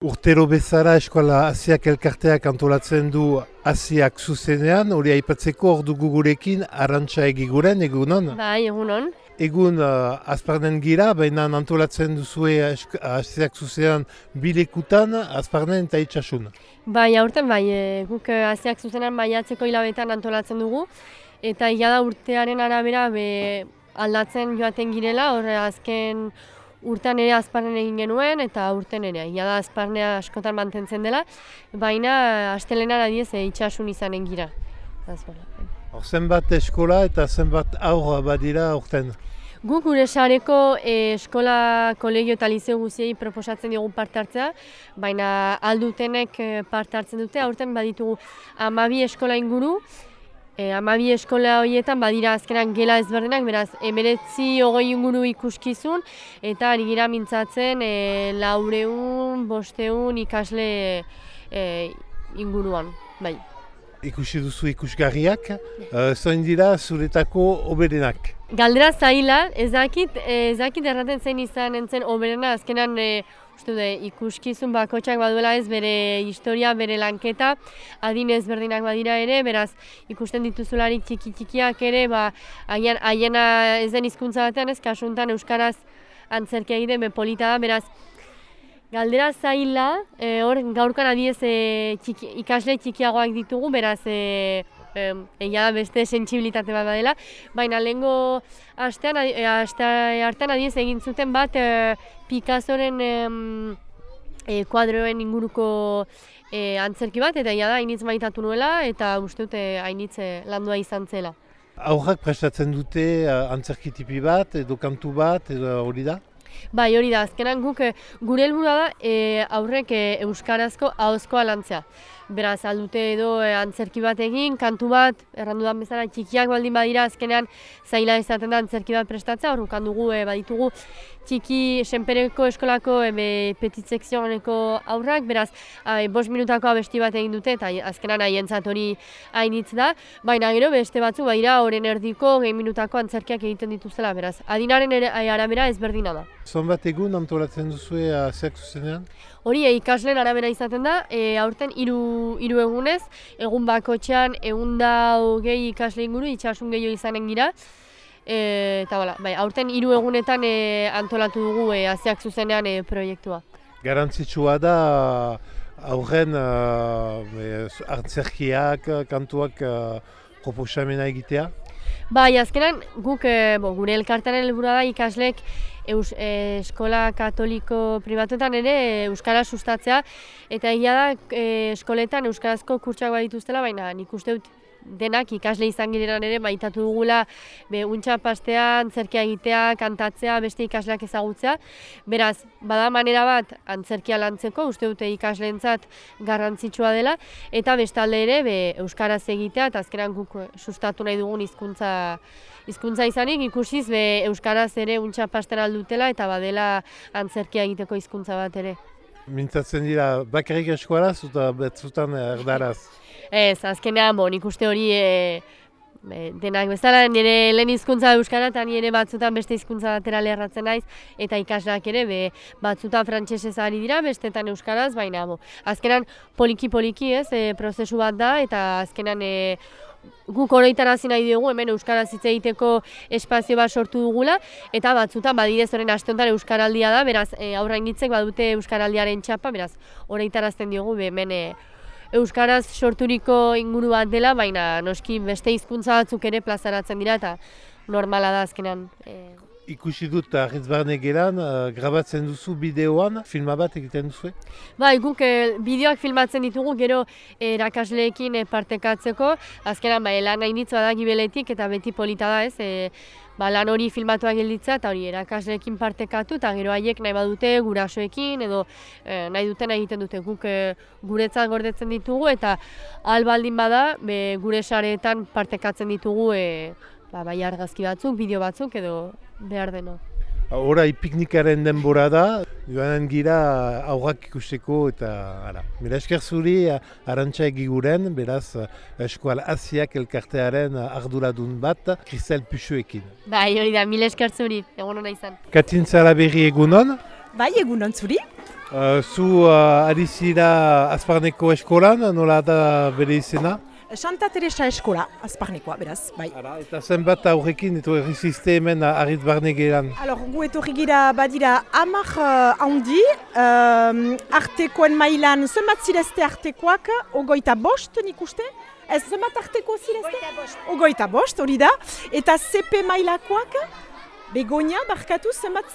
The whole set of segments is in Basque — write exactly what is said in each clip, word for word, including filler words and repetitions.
Urtero bezala eskola Asiak elkarteak antolatzen du Asiak zuzenean, hori aipatzeko hor dugu gurekin Arantxa Egiguren, egunon? Bai, egunon. Egun uh, azparnen gira, baina antolatzen duzue Asiak zuzenean bilekutan, azparnen eta itxasun. Bai, aurten bai, e, guk Asiak zuzenean maiatzeko hilabetean antolatzen dugu, eta ia da urtearen arabera be, aldatzen joaten girela, hor azken urtean ere azparnen egin genuen, eta urten ere, ia da azparnea askotan mantentzen dela, baina astelehenan adiez e, itxasun izanen gira. Hor zenbat eskola eta zenbat aur badira urten? Guk gure sareko e, eskola, kolegio eta liceo guziei proposatzen diogu parte hartzea, baina aldutenek parte hartzen dute, aurten baditugu hamabi eskola inguru, e, hamabi eskola horietan badira azkenan gela ezberdinak, beraz hemeretzi hogei inguru ikuskizun, eta ari gira mintzatzen e, laureun, bosteun ikasle e, inguruan, bai. Ikusi duzu ikusgarriak, uh, zoin dira zuretako oberenak? Galdera zaila, ez dakit, ez dakit erraten zein izan entzen oberena, azkenan e, uste du, ikuskizun bakotxak baduela ez bere historia, bere lanketa, adin ezberdinak badira ere, beraz ikusten dituzularik txiki-txikiak ere, ba, haien, haiena ez den hizkuntza batean ez, kasuntan euskaraz antzerkia egiten, be polita da, beraz, galdera zaila, e, hor gaurkan adiez e, txiki, ikasle txikiagoak ditugu, beraz e, e, egia da beste sentsibilitate bat badela, baina lehengo astean, e, aste hartan adiez egin zuten bat e, Picassoren e, e, kuadroen inguruko e, antzerki bat, eta egia da hainitz maitatu nuela, eta uste dute hainitz e, landua izan zela. Aurrak prestatzen dute antzerki tipi bat, edo kantu bat, edo hori da? Bai, hori da, azkenan guk gure helburua da e, aurrek e, euskarazko ahozkoa lantzea. Beraz, aldute edo e, antzerki bat egin, kantu bat, errandudan bezala txikiak baldin badira, azkenean zaila izaten da antzerki bat prestatzea, hor dugu e, baditugu txiki senpereko eskolako e, petit sekzioneko aurrak, beraz, e, bost minutako abesti bat egin dute, eta azkenan haientzat hori hainitz da, baina gero beste batzu badira horren erdiko gehi minutako antzerkiak egiten dituzela, beraz, adinaren ere, arabera ezberdina da. Zonbat egun antolatzen duzue Asiak zuzenean? Hori e, ikasleen arabera izaten da, e, aurten hiru hiru egunez, egun bakotxean egun da hogei ikasle inguru, itxasun gehiago izanen gira. E, eta bala, bai, aurten hiru egunetan e, antolatu dugu e, Asiak zuzenean e, proiektua. Garantzitsua da aurren uh, antzerkiak, kantuak uh, proposamena egitea? Bai, azkenan guk e, bo, gure elkartaren helburua da ikasleek Eus, e, eskola katoliko pribatuetan ere e, euskara sustatzea, eta egia da e, eskoletan euskarazko kurtsak badituztela, baina nik uste dut denak ikasle izan girenan ere maitatu dugula be untxa pastea, antzerkia egitea, kantatzea, beste ikasleak ezagutzea. Beraz, bada manera bat antzerkia lantzeko, uste dute ikasleentzat garrantzitsua dela, eta bestalde ere be euskaraz egitea, eta azkenan guk sustatu nahi dugun hizkuntza hizkuntza izanik, ikusiz be euskaraz ere untxa pasten aldutela, eta badela antzerkia egiteko hizkuntza bat ere. Mintzatzen dira bakarrik eskuaraz eta betzutan erdaraz? Ez, azkenean, bo, nik uste hori e, e, denak bezala, nire lehen hizkuntza euskara eta nire batzutan beste hizkuntza batera lerratzen naiz, eta ikasleak ere be, batzutan frantsesez ari dira, bestetan euskaraz, baina bo, azkenan poliki-poliki ez, e, prozesu bat da, eta azkenan e, guk oroitarazi nahi dugu hemen euskaraz hitz egiteko espazio bat sortu dugula, eta batzutan badidez horren aste honetan euskaraldia da, beraz e, aurrainitzek badute euskaraldiaren txapa, beraz oroitarazten diogu be, hemen e, euskaraz sorturiko inguru bat dela, baina noski beste hizkuntza batzuk ere plazaratzen dira, eta normala da azkenan. E... Ikusi dut Arritz Barne gelan, uh, grabatzen duzu bideoan, filma bat egiten duzu? Bai, guk e, bideoak filmatzen ditugu gero erakasleekin e, partekatzeko, azkenan ba, lan hainitz badak gibeletik eta beti polita da ez, e, ba, lan hori filmatuak gelditza eta hori erakasleekin partekatu, eta gero haiek nahi badute gurasoekin edo e, nahi duten egiten dute guk e, guretzat gordetzen ditugu, eta ahal baldin bada be, gure sareetan partekatzen ditugu e, ba, bai argazki batzuk, bideo batzuk edo behar deno. Horai piknikaren denbora da, joanen gira aurrak ikusteko eta ara. Mila esker zuri Arantxa Egiguren, beraz eskual Asiak elkartearen arduradun bat, Kristel Puxuekin. Bai, hori da, mila esker zuri, egun hona izan. Katin Zalaberri egunon? Bai, egunon zuri. Uh, zu uh, ari zira Azparneko eskolan, nola da bere izena? Santa Teresa eskola, Azparnekoa, beraz, bai. Ara, eta zenbat aurrekin eto erriziste hemen Arritz Barne geran? Alors, gu etorri gira badira hamar uh, handi, uh, artekoen mailan zenbat zirezte artekoak, ogoita bost nik uste? Ez zenbat arteko zirezte? Ogoita bost. Ogoita bost, hori da. Eta C P mailakoak, Begoña, barkatu, zenbat,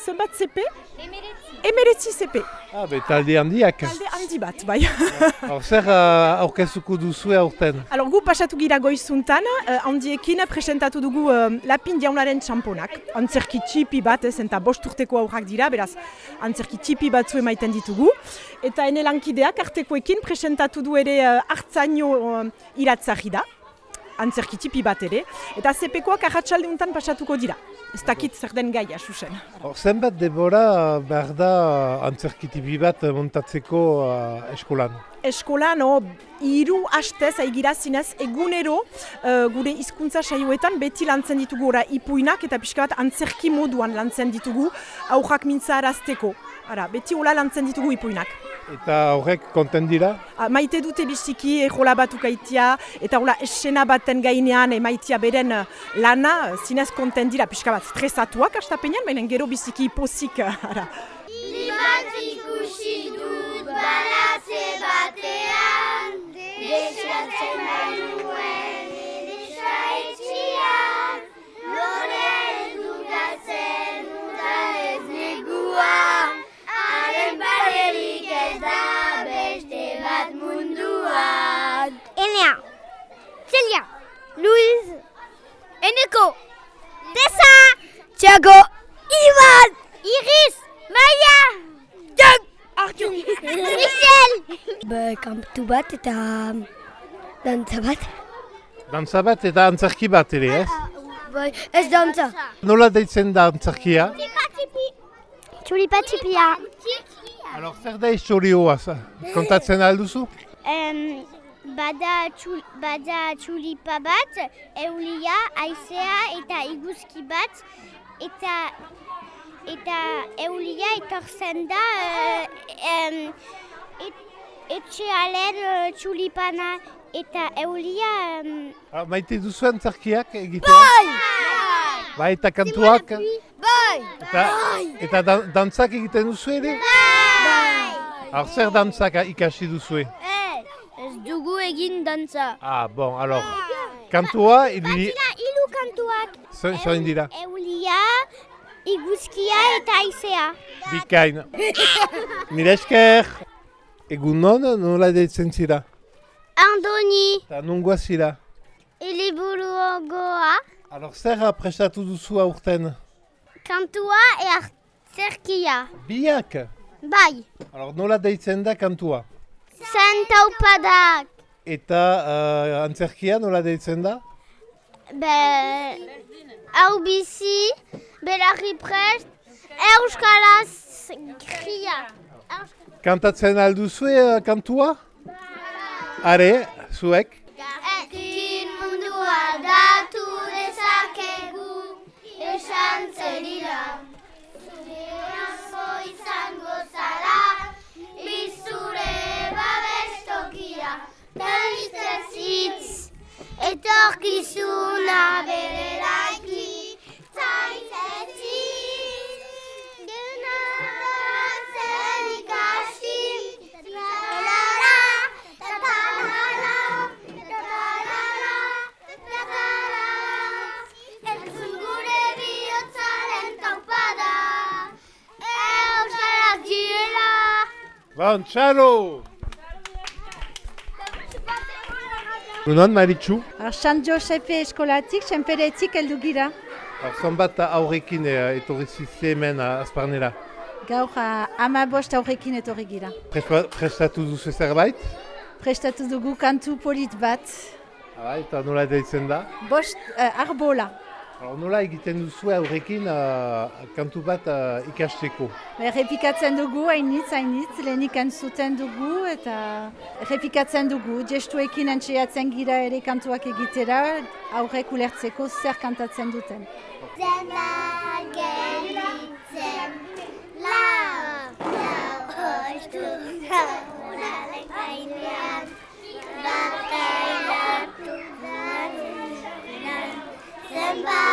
zenbat C P? Emeretzi. Emeretzi C P. Ah, be, talde handiak. Talde handi bat, bai. Hor zer uh, aurkezuko duzu aurten? Alors, gu pasatu gira goizuntan, uh, handiekin presentatu dugu uh, Lapin Jaunaren txamponak. Antzerki txipi bat, ez, eta bost urteko aurrak dira, beraz, antzerki txipi batzu emaiten ditugu. Eta ene lankideak artekoekin presentatu du ere uh, hartzaino uh, iratzari da, antzerki txipi bat ere. Eta C P koak arratsalde untan pasatuko dira. Ez dakit zer den gaia, susen. Hor zenbat debora behar da antzerki tipi bat montatzeko uh, eskolan? Eskolan, no, hiru hastez aigira zinez egunero uh, gure hizkuntza saioetan beti lantzen ditugu ora ipuinak eta pixka bat antzerki moduan lantzen ditugu aurrak mintzarazteko. Ara, beti hola lantzen ditugu ipuinak. Eta horrek konten dira? A, maite dute biziki ejola batukaitia eta hola esena baten gainean emaitia beren lana zinez konten dira pixka bat stresatuak astapenean, baina gero biziki pozik. Ara. Libat ikusi dut balatze batean, desatzen bainuen edesa etxian, loren dukatzen uda ez neguan, haren barerik ez da beste bat munduan. Enea, Celia, Luis, Eneko, Tessa, Thiago, Ivan, Iris, Maia! Jan! Artur! Michel! Ba, kantu bat eta dantza bat. Dantza bat eta antzerki bat ere, ez? Bai, ez dantza. Nola deitzen da antzerkia? Txulipa txipia. Alors, zer da historioa, kontatzen alduzu? Um, bada, txul, bada txulipa bat, eulia, aizea eta iguzki bat, eta eta eulia etortzen da uh, um, et, etxealen uh, txulipana eta eulia... Um... Ah, maite duzu antzerkiak egitea? Bai! Bai, eta kantuak? Bai! Eta, eta dan, dantzak egiten duzu ere? Bai! Alors, zer dantzak ikasi duzu? Ez dugu egin dantza. Ah, bon, alors, kantua... Ili... Batila hilu kantuak. Zoin dira? Eulia, iguzkia eta aizea. Bikain. Mila esker. Egun non, nola deitzen zira? Andoni. Eta nungoa zira? Eliburuogoa. Alors, zer prestatu duzu aurten? Kantua e antzerkia. Biak? Bai. Alors, nola deitzen da kantua? Zantaupadak. Eta uh, antzerkia nola deitzen da? Be... Hau bizi, belarri prest, euskaraz kria. Kantatzen alduzue uh, kantua? Are, zuek? Ekin mundua aldatu dezakegu, esan zerira. Zure asko izango zara, bizure babestokia. Berrizez hitz, etorkizuna bereraiki. Zaitez hitz, genatzen ikasi. Tatarara, tatarara, tatarara, tatarara. Entzun gure bihotzaren taupada, euskarak direla. Bon, txalo! Nunon, Maritxu? San Josepe eskolatik, senperetik heldu gira. Zonbat aurrekin etorri zizte hemen Azparnera? Gaur hamabost aurrekin etorri gira. Prestatu duzu zerbait? Prestatu dugu kantu polit bat. Hala, eta nola deitzen da? Bost uh, arbola. Nola egiten duzu aurrekin uh, kantu bat uh, ikasteko? Errepikatzen dugu, hainitz, hainitz, lehenik entzuten dugu eta errepikatzen dugu. Gestuekin entxeatzen gira ere kantuak egitera, aurrek ulertzeko zer kantatzen duten. Zena gelditzen, lau, lau, udaren gainean, bata indartu da, zenbat